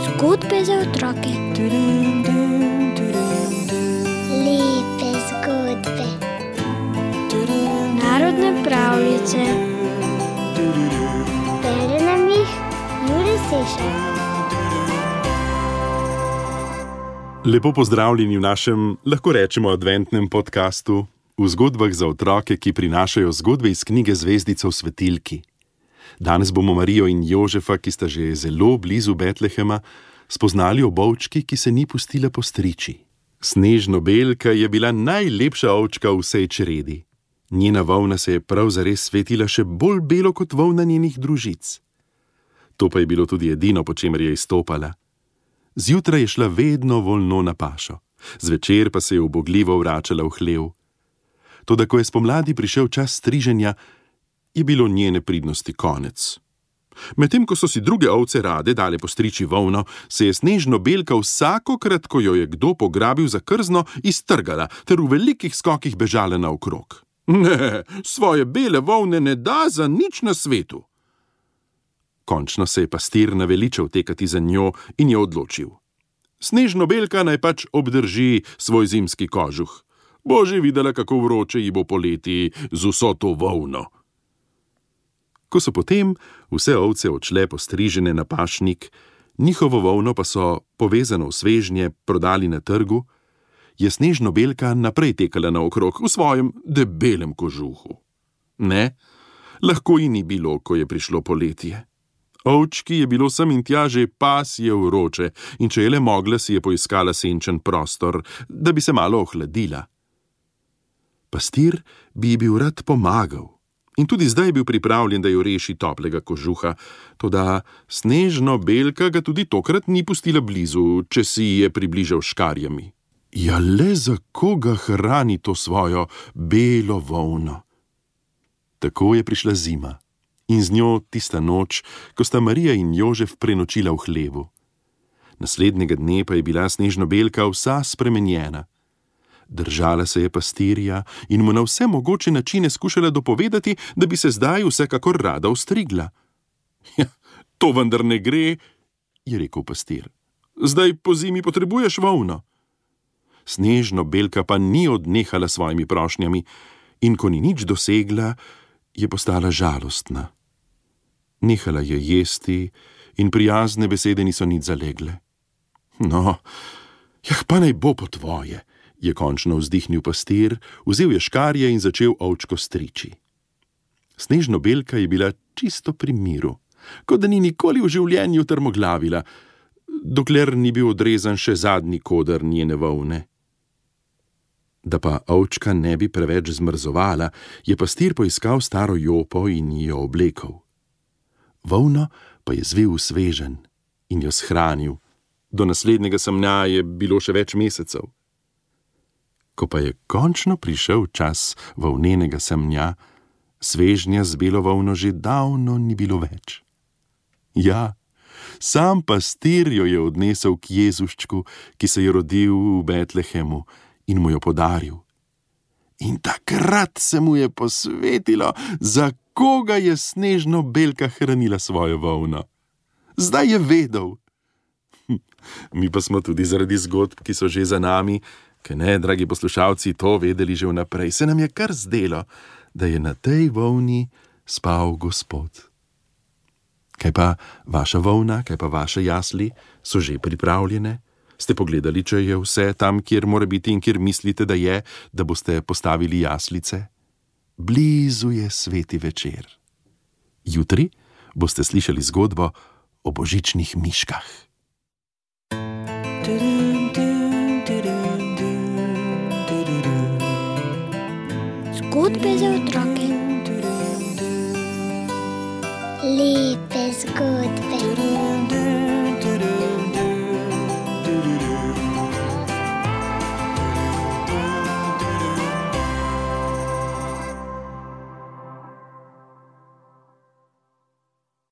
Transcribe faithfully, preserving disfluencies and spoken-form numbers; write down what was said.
Zgodbe za otroke. Lepe zgodbe. Narodne pravljice. Bere nam jih Jure Sešar. Lepo pozdravljeni v našem, lahko rečemo, adventnem podkastu v zgodbah za otroke, ki prinašajo zgodbe iz knjige Zvezdica v svetilki. Danes bomo Marijo in Jožefa, ki sta že zelo blizu Betlehema, spoznali o ovčki, ki se ni pustila postriči. Snežno-belka je bila najlepša ovčka v vsej čredi. Njena volna se je prav zares svetila še bolj belo kot volna njenih družic. To pa je bilo tudi edino, po čemer je izstopala. Zjutraj je šla vedno volno na pašo, zvečer pa se je ubogljivo vračala v hlev. Toda ko je spomladi prišel čas striženja, je bilo njene pridnosti konec. Medtem ko so si druge ovce rade dale postriči volno, se je Snežno-belka vsakokrat, ko jo je kdo pograbil za krzno, iztrgala ter v velikih skokih bežala naokrog. Ne, svoje bele volne ne da za nič na svetu. Končno se je pastir naveličal tekati za njo in je odločil. Snežno-belka naj pač obdrži svoj zimski kožuh. Bo že videla, kako vroče ji bo poleti z vso to volno. Ko so potem vse ovce odšle postrižene na pašnik, njihovo volno pa so, povezano v svežnje, prodali na trgu, je Snežno-belka naprej tekala naokrog v svojem debelem kožuhu. Ne, lahko ji ni bilo, ko je prišlo poletje. Ovčki je bilo sem in tja že pasje vroče in če je le mogla, si je poiskala senčen prostor, da bi se malo ohladila. Pastir bi ji bil rad pomagal in tudi zdaj je bil pripravljen, da jo reši toplega kožuha, toda Snežno-belka ga tudi tokrat ni pustila blizu, če si je približal škarjami. Ja, le za koga hrani to svojo belo volno? Tako je prišla zima in z njo tista noč, ko sta Marija in Jožef prenočila v hlevu. Naslednjega dne pa je bila Snežno-belka vsa spremenjena. Držala se je pastirja in mu na vse mogoče načine skušala dopovedati, da bi se zdaj vsekakor rada ostrigla. Ja, to vendar ne gre, je rekel pastir. Zdaj po zimi potrebuješ volno. Snežno-belka pa ni odnehala svojimi prošnjami in ko ni nič dosegla, je postala žalostna. Nehala je jesti in prijazne besede niso nič zalegle. No, jah, pa naj bo po tvoje, je končno vzdihnil pastir, vzel je škarje in začel ovčko striči. Snežno-belka je bila čisto pri miru, kot da ni nikoli v življenju trmoglavila, dokler ni bil odrezan še zadnji koder njene volne. Da pa ovčka ne bi preveč zmrzovala, je pastir poiskal staro jopo in jo oblekel. Volno pa je zvil v sveženj in jo shranil. Do naslednjega semnja je bilo še več mesecev. Ko pa je končno prišel čas volnenega semnja, svežnja z belo volno že davno ni bilo več. Ja, sam pastir jo je odnesel k Jezuščku, ki se je rodil v Betlehemu, in mu jo podaril. In takrat se mu je posvetilo, za koga je Snežno-belka hranila svojo volno. Zdaj je vedel. Mi pa smo tudi zaradi zgodb, ki so že za nami, kaj ne, dragi poslušalci, to vedeli že vnaprej. Se nam je kar zdelo, da je na tej volni spal Gospod. Kaj pa vaša volna, kaj pa vaše jasli so že pripravljene? Ste pogledali, če je vse tam, kjer mora biti in kjer mislite, da je, da boste postavili jaslice? Blizu je sveti večer. Jutri boste slišali zgodbo o božičnih miškah. Zgodbe za otroke.